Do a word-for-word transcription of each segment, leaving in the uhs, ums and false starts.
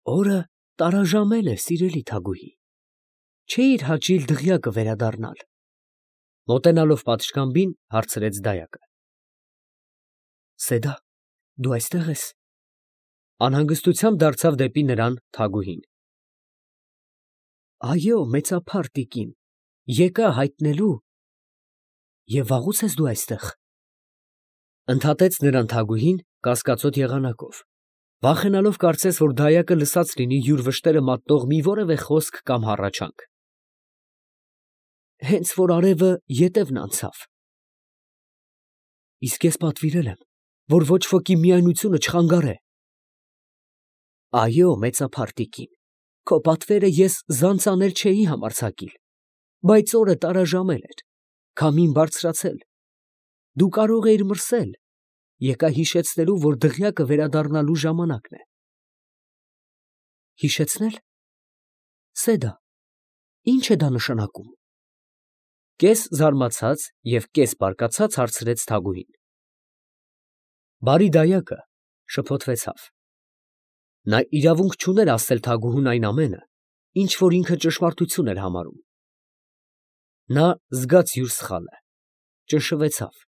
Օրը տարաժամել է, սիրելի Թագուհի, չէիր հաճիլ դղյակը վերադառնալ։ Մոտենալով պատշգամբին, հարցրեց դայակը։ Սեդա, դու այստեղ ես։ Անհանգստությամբ դարձավ դեպի նրան Թագուհին։ Այո, մեծափառ տիկին, եկա հայտնելու։ Եվ վաղուց ես դու այստեղ։ Ընդհատեց նրան Թագուհին կասկածոտ եղանակով, վախենալով կարծես, որ դայակը լսած լինի յուր վշտերը մատնող մի որևէ խոսք կամ հառաչանք։ Հենց որ արևը ետևն անցավ։ Իսկ ես պատվիրել եմ, որ ոչ ոքի միայնությունը չխանգարե։ Այո, մեծափառ տիկին, քո պատվերը ես զանց անել չէի համարձակիլ, բայց օրը տարաժամել էր, քամին բարձրացել, դու կարող էիր մրսել, եկա հիշեցնելու, որ դղյակը վերադառնալու ժամանակն է։ Հիշեցնել։ Սեդա, ի՞նչ է դա նշանակում։ Կես զարմացած և կես բարկացած հարցրեց Թագուհին։ Բարի դայակը շփոթվեցավ։ Նա իրավունք չուներ ասել Թագուհուն այն ամենը, ինչ որ ինքը ճշմարտություն էր համարում։ Նա զգաց յուր սխալը, ճնշվեցավ,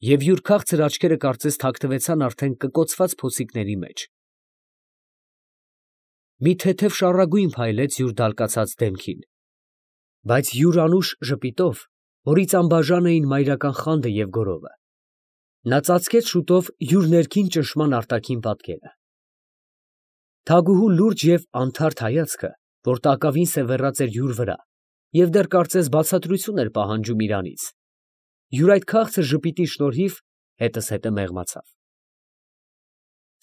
և յուր քաղցր աչքերը կարծես թաքնվեցան արդեն կկոցված փոսիկների մեջ։ Մի թեթև շառագույն փայլեց յուր դալկացած դեմքին, բայց յուր անուշ ժպիտով, որից անբաժան էին մայրական խանդը և գոռովը, նա ծածկեց շուտով յուր ներքին ճնշման արտաքին պատկերը։ Թագուհու լուրջ և անթարթ հայացքը, որ տակավին սևեռած էր յուր վրա և դեռ կարծես բացատրություն էր պահանջում իրանից, յուր այդ քաղցր ժպիտի շնորհիվ հետզհետե մեղմացավ։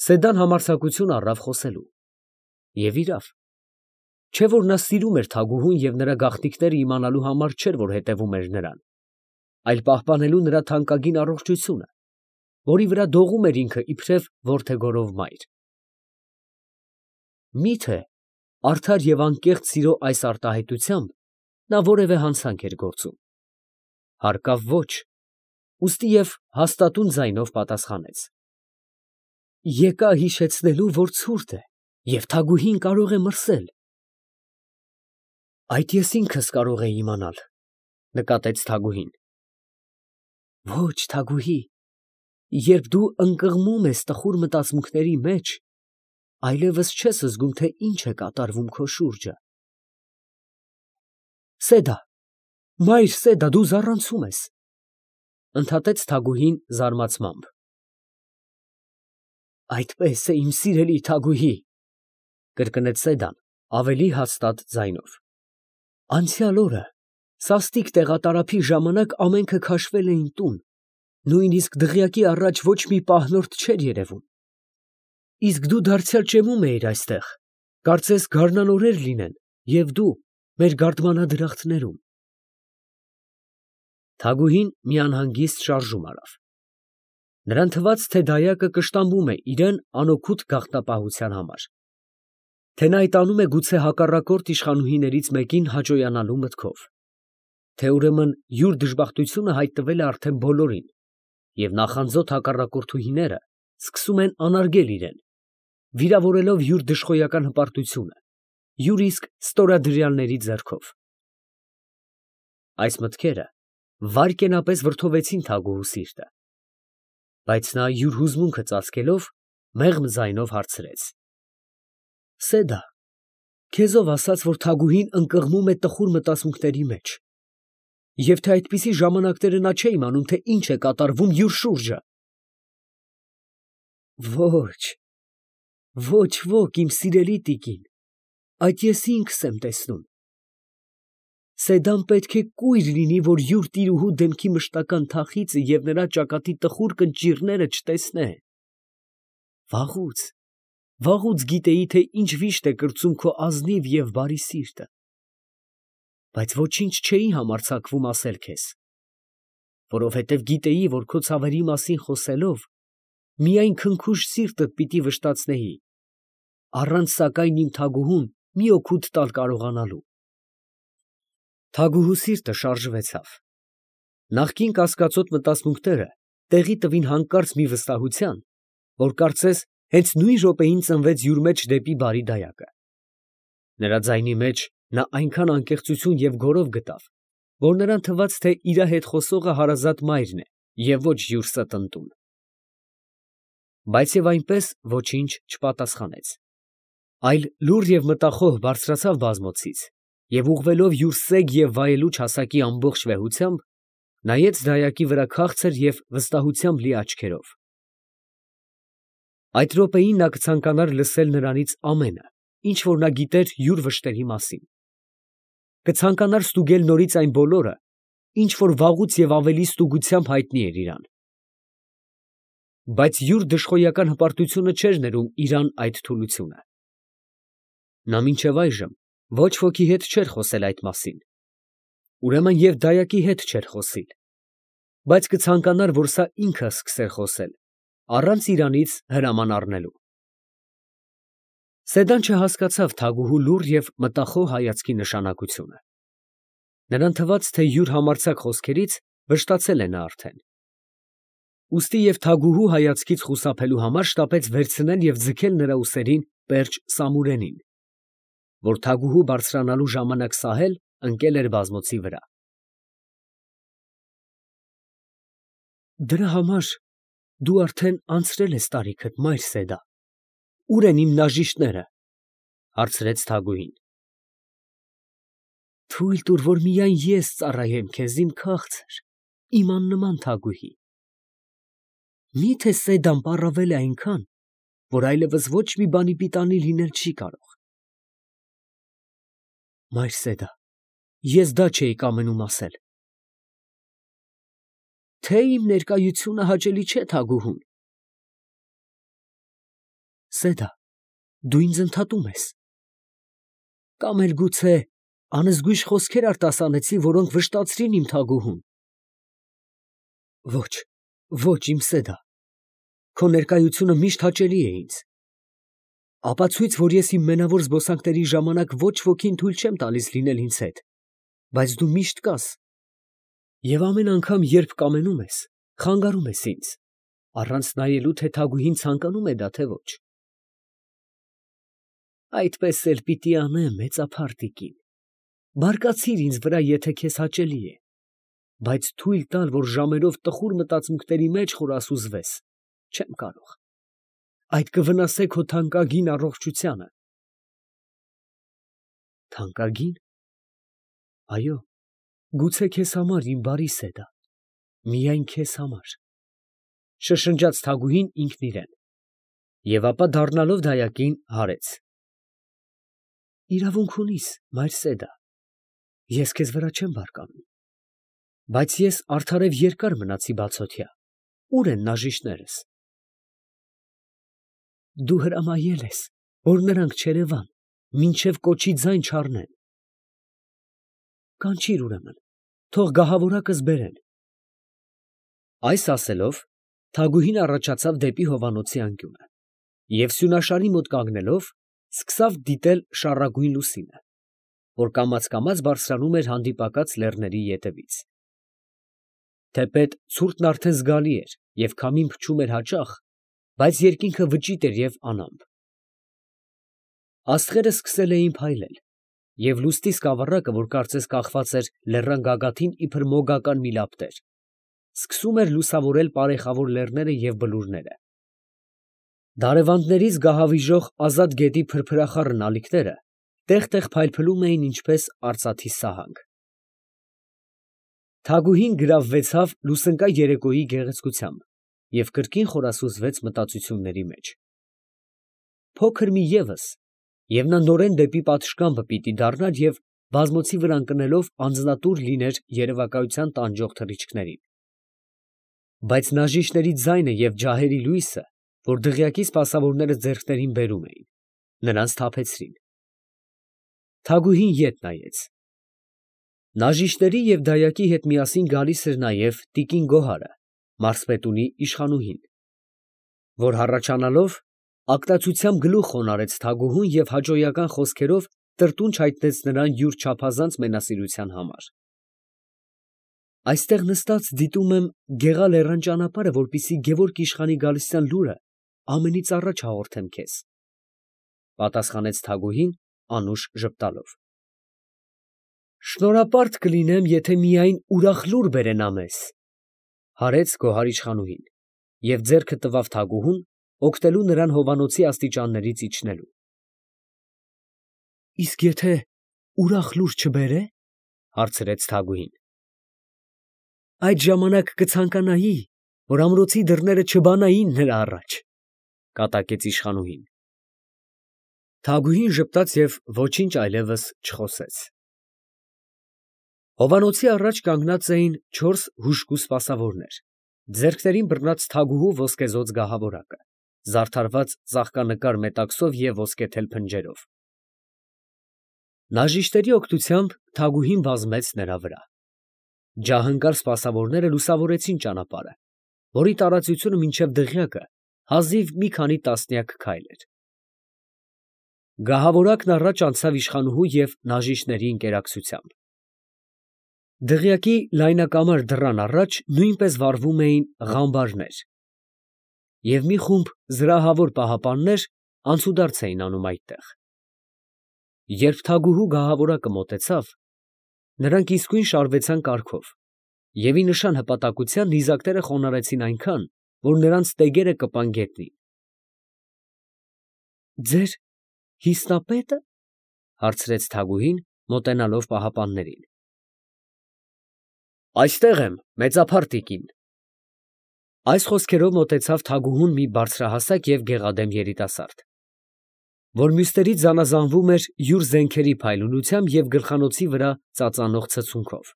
Սեդան համարձակություն առավ խոսելու։ Եվ իրավ, չէ որ նա սիրում էր Թագուհուն և նրա գաղտնիքները իմանալու համար չէր, որ հետևում էր նրան, այլ պահպանելու նրա թանկագին առողջությունը, որի վրա դողում էր ինքը իբրև որդեգորով մայր։ Մի՞թե արդար և անկեղծ սիրո այս արտահայտությամբ նա որևէ հանցանք էր գործում։ Հարկավ ոչ, ուստի և հաստատուն ձայնով պատասխանեց. Եկա հիշեցնելու, որ ցուրտ է, և Թագուհին կարող է մրսել։ Այդ ես ինքս կարող էի իմանալ, նկատեց Թագուհին։ Ոչ, Թագուհի, երբ դու ընկղմում ես տխուր մտածմունքների մեջ, այլևս չես զգում, թե ինչ է կատարվում քո շուրջը։ Սեդա, մայր Սեդա, դու զառանցում ես, ընդհատեց Թագուհին զարմացմամբ։ Այդպես է, իմ սիրելի Թագուհի, կրկնեց Սեդան ավելի հաստատ ձայնով։ Անցյալ օրը սաստիկ տեղատարափի ժամանակ ամենքը քաշվել էին տուն, նույնիսկ դղյակի առաջ ոչ մի պահնորդ չէր երևում։ Իսկ դու դարձյալ ճեմում էիր այստեղ, կարծես գարնանօրեր լինեն, և դու մեր գարդմանադրախտներում։ Թագուհին մի անհանգիստ շարժում արավ։ Նրան թվաց, թե դայակը կշտամբում է իրան անօգուտ գաղտնապահության համար, թե նա այդ անում է գուցե հակառակորդ իշխանուհիներից մեկին հաճոյանալու մտքով, թե ուրեմն յուր դժբախտությունը հայտնվել է արդեն բոլորին, և նախանձոտ հակառակորդուհիները սկսում են անարգել իրեն, վիրավորելով յուր դժխոյական հպարտությունը, յուր իսկ ստորադրյալների ձեռքով։ Այս մտքերը վայրկենապես վրդովեցին Թագուհու սիրտը, բայց նա յուր հուզմունքը ծածկելով մեղմ ձայնով հարցրեց. Սեդա, քեզով ասաց, որ Թագուհին ընկղմում է տխուր մտածմունքների մեջ, և թե այդպիսի ժամանակները նա չէ իմանում, թե ինչ է կատարվում յուր շուրջը։ Ոչ, ոչ ոք, իմ սիրելի տիկին, այդ ես ինքս եմ տեսնում։ Սեդան պետք է կույր լինի, որ յուր տիրուհու դեմքի մշտական թախիծը և նրա ճակատի տխուր կնճիռները չտեսնե։ Վաղուց, վաղուց գիտեի, թե ինչ վիշտ է կրծում քո ազնիվ և բարի սիրտը, բայց ոչինչ չէի համարձակվում ասել քեզ, որովհետև գիտեի, որ քո ցավերի մասին խոսելով, միայն քնքուշ սիրտդ պիտի վշտացնեի, առանց սակայն իմ Թագուհուն մի օգուտ տալ կարողանալու։ Թագուհու սիրտը շարժվեցավ։ Նախկին կասկածոտ մտածմունքները տեղի տվին հանկարծ մի վստահության, որ կարծես Հենց նույն րոպեին ծնվեց յուր մեջ դեպի բարի դայակը։ Նրա ձայնի մեջ նա այնքան անկեղծություն և գոռով գտավ, որ նրան թվաց, թե իրա հետ խոսողը հարազատ մայրն է և ոչ յուր ստընտուն։ Բայց և այնպես ոչինչ չպատասխանեց, այլ լուռ և մտախոհ բարձրացավ բազմոցից և ուղղվելով յուր սեգ և վայելուչ հասակի ամբողջ վեհությամբ, նայեց դայակի վրա քաղցր և վստահությամբ լի աչքերով։ Այդ րոպեին նա կցանկանար լսել նրանից ամենը, ինչ որ նա գիտեր յուր վշտերի մասին, կցանկանար ստուգել նորից այն բոլորը, ինչ որ վաղուց և ավելի ստուգությամբ հայտնի էր իրան։ Բայց յուր դժխոյական հպարտությունը չէր ներում իրան այդ թուլությունը։ Նա մինչև այժմ ոչ ոքի հետ չէր խոսել այդ մասին, ուրեմն և դայակի հետ չէր խոսիլ, բայց կցանկանար, որ սա ինքը սկսեր խոսել, առանց իրանից հրաման առնելու։ Սեդան չհասկացավ Թագուհու լուռ և մտախոհ հայացքի նշանակությունը։ Նրան թվաց, թե յուր համարձակ խոսքերից վշտացել է նա արդեն։ Ուստի և Թագուհու հայացքից խուսափելու համար շտապեց վերցնել և ձգել նրա ուսերին պերճ Սամուրենին, որ Թագուհու բարձրանալու ժամանակ սահել ընկել էր բազմոցի վրա։ Դրա համար դու արդեն անցրել ես տարիքդ, մայր Սեդա, ո՞ւր են իմ նաժիշտները, ֊ հարցրեց Թագուհին։ Թույլ տուր, որ միայն ես ծառայեմ քեզ, իմ քաղցր, իմ աննման Թագուհի։ Մի՞թե Սեդան պառավել է այնքան, որ այլևս ոչ մի բանի պիտանի լինել չի կարող։ Մայր Սեդա, ես դա չէի կամենում ասել։ Թե իմ ներկայությունը հաճելի չէ Թագուհուն։ Սեդա, դու ինձ ընդհատում ես։ Կամ էլ գուցե անզգույշ խոսքեր արտասանեցի, որոնք վշտացրին իմ Թագուհուն։ Ոչ, ոչ, իմ Սեդա, քո ներկայությունը միշտ հաճելի է ինձ։ Ապացույց, որ ես իմ մենավոր զբոսանքների ժամանակ ոչ ոքին թույլ չեմ տալիս լինել ինձ հետ, բայց դու միշտ կաս, և ամեն անգամ, երբ կամենում ես, խանգարում ես ինձ, առանց նայելու, թե Թագուհին ցանկանում է դա, թե ոչ։ Այդպես էլ պիտի անեմ, մեծափառ տիկին, բարկացիր ինձ վրա, եթե քեզ հաճելի է, բայց թույլ տալ, որ ժամերով տխուր մտածմունքների մեջ խորասուզվես, չեմ կարող, այդ կվնասե քո թանկագին առողջությանը։ Թանկագի՞ն։ Այո, գուցե քեզ համար, իմ բարի Սեդա, միայն քեզ համար, ֊ շշնջաց Թագուհին ինքն իրեն, և ապա դառնալով դայակին, հարեց. Իրավունք ունիս, մայր Սեդա, ես քեզ վրա չեմ բարկանում, բայց ես արդարև երկար մնացի բացօթյա, ո՞ւր են նաժիշտներս։ Դու հրամայել ես, որ նրանք չերևան, մինչև կոչի ձայն չառնեն։ Կանչիր ուրեմն, թող գահավորակս բերեն։ Այս ասելով, Թագուհին առաջացավ դեպի հովանոցի անկյունը և սյունաշարի մոտ կանգնելով, սկսավ դիտել շառագույն լուսինը, որ կամաց֊կամաց բարձրանում էր հանդիպակաց լեռների ետևից։ Թեպետ ցուրտն արդեն զգալի էր և քամին փչում էր հաճախ, բայց երկինքը վճիտ էր և անամպ։ Աստղերը սկսել էին փայլել, և լուսնի սկավառակը, որ կարծես կախված էր լեռան գագաթին իբր մոգական մի լապտեր, սկսում էր լուսավորել պարեխավոր լեռները և բլուրները։ Դարևանդներից գահավիժող ազատ գետի փրփրախառն ալիքները տեղ֊տեղ փայլփլում էին ինչպես արծաթի սահանք։ Թագուհին գրավվեցավ լուսնկա երեկոյի գեղեցկությամբ և կրկին խորասուզվեց մտածությունների մեջ։ Փոքր մի ևս, և նա նորեն դեպի պատշգամբը պիտի դառնար և բազմոցի վրա ընկնելով անձնատուր լիներ երևակայության տանջող թռիչքներին։ Բայց նաժիշտների ձայնը և ջահերի լույսը, որ դղյակի սպասավորները ձեռքներին բերում էին, նրան սթափեցրին։ Թագուհին ետ նայեց։ Նաժիշտների և դայակի հետ միասին գալիս էր նաև տիկին Գոհարը, մարզպետունի իշխանուհին, որ հառաչանալով ակտացությամբ գլուխ խոնարհեց Թագուհուն և հաճոյական խոսքերով տրտունջ հայտնեց նրան յուր չափազանց մենասիրության համար։ Այստեղ նստած դիտում եմ Գեղա լեռան ճանապարհը, որպեսզի Գևորգ իշխանի գալստյան լուրը ամենից առաջ հաղորդեմ քեզ, ֊ պատասխանեց Թագուհին անուշ ժպտալով։ Շնորհապարտ կլինեմ, եթե միայն ուրախ լուր բերենա մեզ, ֊ հարեց գոհար իշխանուհին և ձեռքը տվավ Թագուհուն, օգնելու նրան հովանոցի աստիճաններից իջնելու։ ֊ Իսկ եթե ուրախ լուր չբերե, ֊ հարցրեց Թագուհին։ ֊ Այդ ժամանակ կցանկանայի, որ ամրոցի դռները չբանային նրա առաջ, ֊ կատակեց իշխանուհին։ Թագուհին ժպտաց և ոչինչ այլևս չխոսեց։ Հովանոցի առաջ կանգնած էին չորս հուժկու սպասավորներ, ձեռքներին բռնած թագուհու ոսկեզօծ գահավորակը, զարդարված ծաղկանկար մետաքսով և ոսկեթել փնջերով։ Նաժիշտերի օգնությամբ Թագուհին վազվեց նրա վրա։ Ջահնկար սպասավորները լուսավորեցին ճանապարհը, որի տարածությունը մինչև դղյակը հազիվ մի քանի տասնյակ քայլ էր։ Գահավորակն առաջ անցավ իշխանուհու և նաժիշտների ընկերակցությամբ։ Դղյակի լայնակամար դռան առաջ նույնպես վառվում էին ղամբարներ, և մի խումբ զրահավոր պահապաններ անցուդարձ էին անում այդտեղ։ Երբ թագուհու գահավորակը մոտեցավ, նրանք իսկույն շարվեցան կառքով և ի նշան հպատակության նիզակները խոնարհեցին այնքան, որ նրանց տեգերը կպան գետնին։ ֊ Ձեր հիսնապե՞տը, ֊ հարցրեց Թագուհին, մոտենալով պահապաններին։ ֊ Այստեղ եմ, մեծափառ տիկին։ Այս խոսքերով մոտեցավ թագուհուն մի բարձրահասակ և գեղադեմ երիտասարդ, որ մյուսներից զանազանվում էր յուր զենքերի փայլունությամբ և գլխանոցի վրա ծածանող ցցունքով։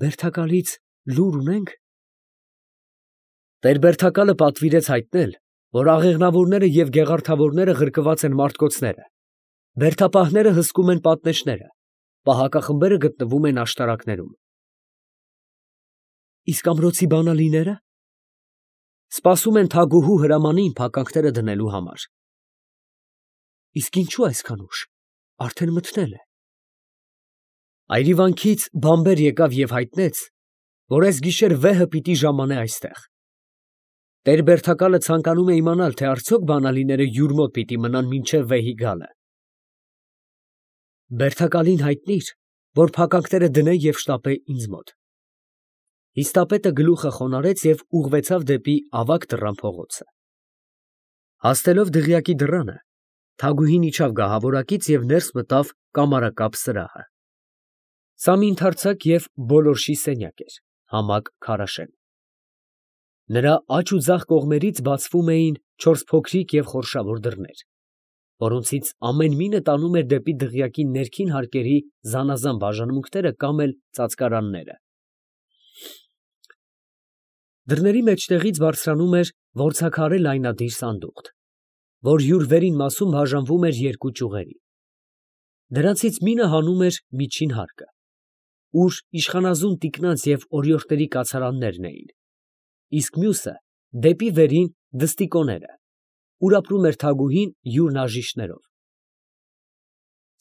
Բերդակալից լուր ունե՞նք։ Տեր֊Բերդակալը պատվիրեց հայտնել, որ աղեղնավորները և գեղարդավորները ղրկված են մարտկոցները, բերդապահները հսկում են պատնեշները, պահակախմբերը գտնվում են աշտարակներում։ Իսկ ամրոցի բանալինե՞րը։ Սպասում են թագուհու հրամանին փականքները դնելու համար։ Իսկ ինչո՞ւ այսքան ուշ, արդեն մթնել է։ Այրիվանքից բանբեր եկավ և հայտնեց, որ այս գիշեր վեհը պիտի ժամանե այստեղ։ Տեր֊Բերդակալը ցանկանում է իմանալ, թե արդյոք բանալիները յուր մոտ պիտի մնան մինչև վեհի գալը։ Բերդակալին հայտնիր, որ փականքները դնե և շտապե ինձ մոտ։ Հիստապետը գլուխը խոնարհեց և ուղղվեցավ դեպի ավագ դռան փողոցը։ Հասնելով դղյակի դռանը, Թագուհին իջավ գահավորակից և ներս մտավ կամարակապ սրահը։ Սա մի ընդարձակ և բոլորշի սենյակ էր, համակ քարաշեն։ Նրա աջ ու ձախ կողմերից բացվում էին չորս փոքրիկ և խորշավոր դռներ, որոնցից ամեն մինը տանում էր դեպի դղյակի ներքին հարկերի զանազան բաժանմունքները կամ էլ ծածկարանները։ Դռների մեջտեղից բարձրանում էր որձաքարե լայնադիր սանդուղք, որ յուր վերին մասում բաժանվում էր երկու ճյուղերի։ Դրանցից մինը հանում էր միջին հարկը, ուր իշխանազուն տիկնանց և օրիորդների կացարաններն էին, իսկ մյուսը դեպի վերին դստիկոները, ուր ապրում էր թագուհին յուր նաժիշտներով։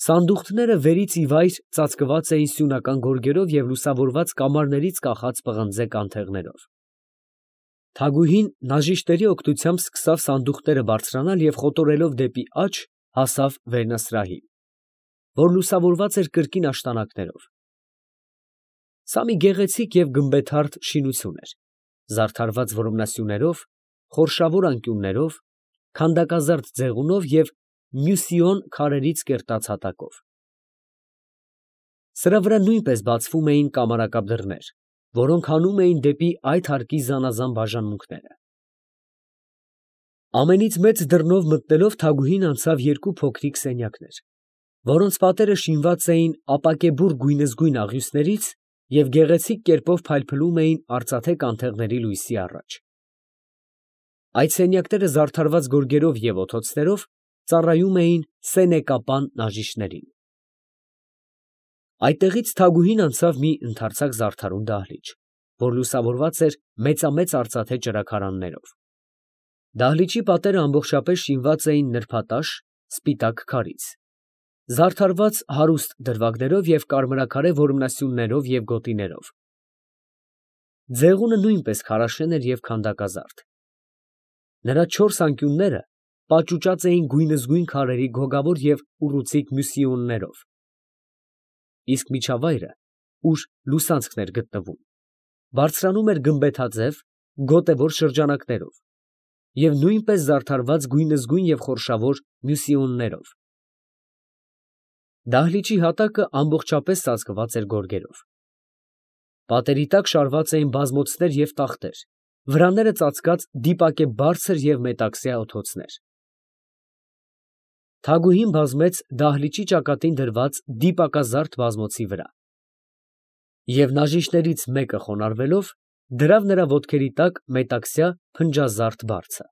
Սանդուղքները վերից ի վայր ծածկված էին սյունական գորգերով և լուսավորված կամարներից կախած պղնձե կանթեղներով։ Թագուհին նաժիշտների օգնությամբ սկսավ սանդուղքները բարձրանալ և խոտորելով դեպի աջ հասավ վերնասրահին, որ լուսավորված էր կրկին աշտանակներով։ Սա մի գեղեցիկ և գմբեթարդ շինություն էր, զարդարված որմնասյուներով, խորշավոր անկյուններով, քանդակազարդ ձեղունով և մյուսիոն քարերից կերտած հատակով։ Սրա վրա նույնպես բացվում էին կամարակապ դռներ, որոնք հանում էին դեպի այդ հարկի զանազան բաժանմունքները։ Ամենից մեծ դռնով մտնելով Թագուհին անցավ երկու փոքրիկ սենյակներ, որոնց պատերը շինված էին ապակեբուռ գույնզգույն աղյուսներից և գեղեցիկ կերպով փայլփլում էին արծաթե կանթեղների լույսի առաջ։ Այդ սենյակները զարդարված գորգերով և օթոցներով ծառայում էին սենեկապան նաժիշտներին։ Այդտեղից Թագուհին անցավ մի ընդարձակ զարդարուն դահլիճ, որ լուսավորված էր մեծամեծ արծաթե ճրագարաններով։ Դահլիճի պատերը ամբողջապես շինված էին նրբատաշ, սպիտակ քարից, զարդարված հարուստ դրվագներով և կարմրաքարե որմնասյուններով և գոտիներով։ Ձեղունը նույնպես քարաշեն էր և քանդակազարդ, Նրա չորս անկյունները պաճուճած էին գույնզգույն քարերի գոգավոր և ուռուցիկ մյուսիոններով, իսկ միջավայրը, ուր լուսանցքն էր գտնվում, բարձրանում էր գմբեթաձև, գոտևոր շրջանակներով և նույնպես զարդարված գույնզգույն և խորշավոր մյուսիոններով։ Դահլիճի հատակը ամբողջապես ծածկված էր գորգերով։ Պատերի տակ շարված էին բազմոցներ և տախտեր, վրանները ծածկած դիպակե բարձր և մետաքսյա օթոցներ։ Թագուհին բազմեց դահլիճի ճակատին դրված դիպակազարդ բազմոցի վրա, և նաժիշտներից մեկը խոնարհվելով դրավ նրա ոտքերի տակ մետաքսյա փնջազարդ բարձը։